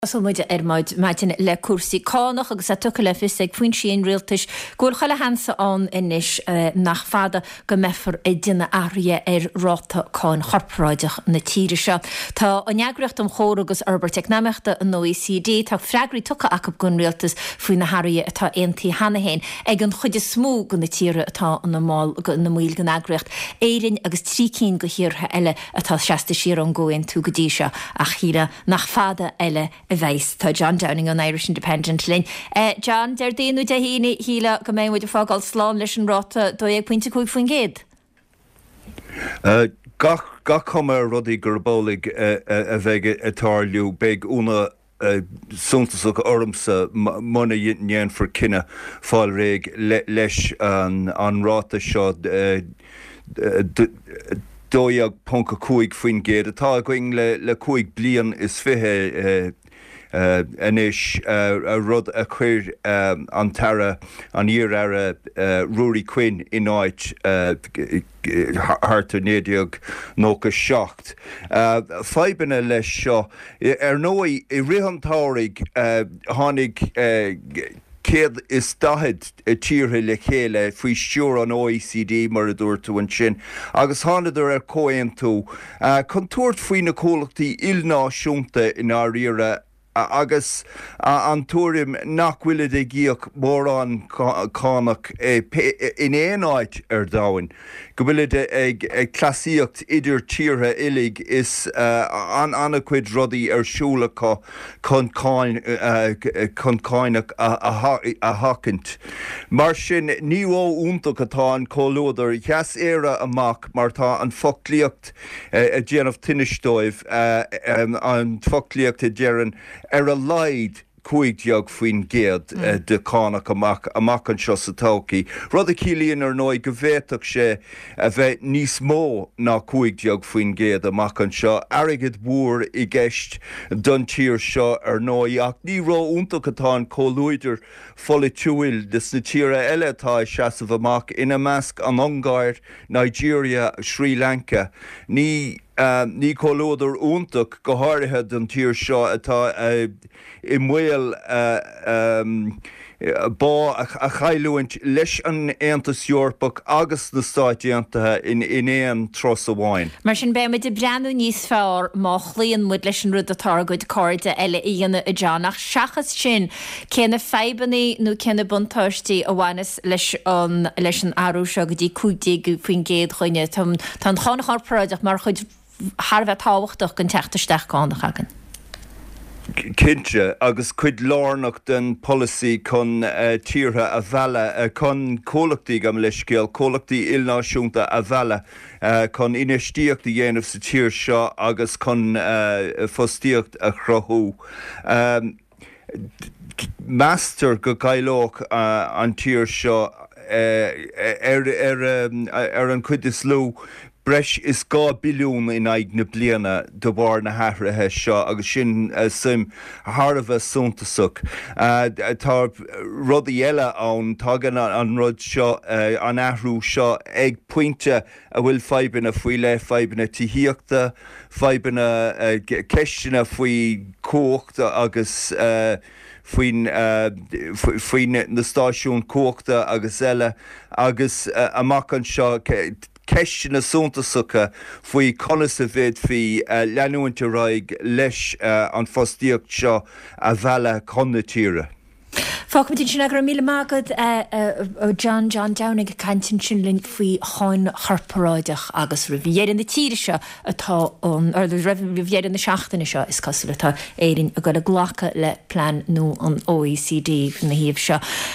Tosóidh muid ar maidin le cúrsaí cánach agus é tugtha le fios ag foinsí an rialtais go bhfuil chuile sheans ann anois nach fada go mbeifear ag déanamh athruithe ar ráta cáin chorparáideach na tíre seo. Tá an Eagraíocht um Chomhar agus Fhorbairt Eacnamaíochta, an OECD, tá freagraí tugtha acu don rialtas faoi na hathruithe atá aontaithe cheana féin ag an chuid is mó de na tíortha atá ina mbaill den eagraíocht, Éirinn agus 3 cinn de thíortha eile atá seasta siar ón gcomhaontú go dtí seo ach shílfeá Nach fada eile a bheas. Tá John Downing ón Irish Independent linn. John, Déardaoin nó Dé hAoine, shílfeá go mbeidh muid ag fágáil slán leis an ráta 12.5%? Gach gach cuma ar rudaí gurb amhlaidh a bheidh ag tarlú. Beidh ionadh suntasach ormsa muna ndéanfar cinneadh fáil réidh leis an ráta seo. 12.5% atá againn le 25 bliain anois, rud a chuir an tAire, an iar-Aire Ruairí Quinn in áit thart ar 1997. Fadhbanna leis seo, ar ndóigh, i rith an tsamhraidh tháinig 140 tíortha le chéile faoi stiúir an OECD, mar a dúirt tú ansin, agus thánadar ar chomhaontú chun tabhairt faoi na comhlachtaí ilnáisiúnta i ndáiríre agus an tuairim nach bhfuilid ag íoc mórán cánach in aon áit ar domhan, go bhfuilid ag cleasaíocht idir tíortha uilig is an-chuid rudaí ar siúl acu. chun cánach a sheachaint. Mar sin, ní ró-iontach atá an comhluadar. Sheas Éire amach mar tá an foclaíocht ag déanamh tinnis dóibh, an foclaíocht a deireann ar a laghad 15% de chánach amach amach anseo sa todhchaí, rud a chiallaíonn, ar ndóigh, go bhféadfadh sé a bheith níos mó ná 15% amach anseo. Airgead mhór i gceist don tír seo, ar ndóigh, ach ní ró-iontach atá an comhluadar pholaitiúil de sna tíortha eile atá ag seasamh amach, ina measc an Ungáir, Nigeria, Srí Lanca. Ní ní comhluadar iontach, go háirithe don tír seo atá i mbaol bá a chailliúint leis an Aontas Eorpach agus na Stáit Aontaithe in aon turas amháin. Mar sin, beidh muid ag breathnú níos fearr má chloíonn muid leis an rud atá ár gcuid cairde eile a dhéanamh, a John. Ach seachas sin, cé na fadhbanna nó cé na buntáistí a bhaineas leis an leis an athrú seo go dtí 15% dhuine? Tá an cháin chorparáideach mar chuid thar a bheith tábhachtach den teacht isteach cánach againn. Cinnte, agus cuid lárnach den pholasaí chun tíortha a mhealladh, chun comhlachtaí, gabh mo leithscéal, comhlachtaí ilnáisiúnta a mhealladh chun infheistíocht a dhéanamh sa tír seo agus chun fostaíocht a chruthú. Meastar go gcaillfeadh an tír seo, ar an chuid is lú, breis is 2 billiún in aghaidh na bliana de bharr na hathruithe seo agus sin suim thar a bheith suntasach. Tá rudaí eile ann, tagann an rud seo, an athrú seo ag pointe a bhfuil fadhbanna faoi leith, fadhbanna tithíochta, fadhbanna, ceisteanna faoi chumhacht agus faoin, faoi na stáisiúin chumhachta agus eile agus amach anseo ceisteanna suntasacha faoi conas a bhféadfaí leanúint ar aghaidh leis an fostaíocht seo a mhealladh chun na tíre. Fágfaimid ansin é. Go raibh míle maith agat a John, John Downing ag caint ansin linn faoi cháin chorparáideach agus roimh dheireadh na tíre seo atá an, roimh dheireadh na seachtaine seo is cosúil atá Éirinn ag dul ag glacadh le plean nua an OECD ina thaobh seo.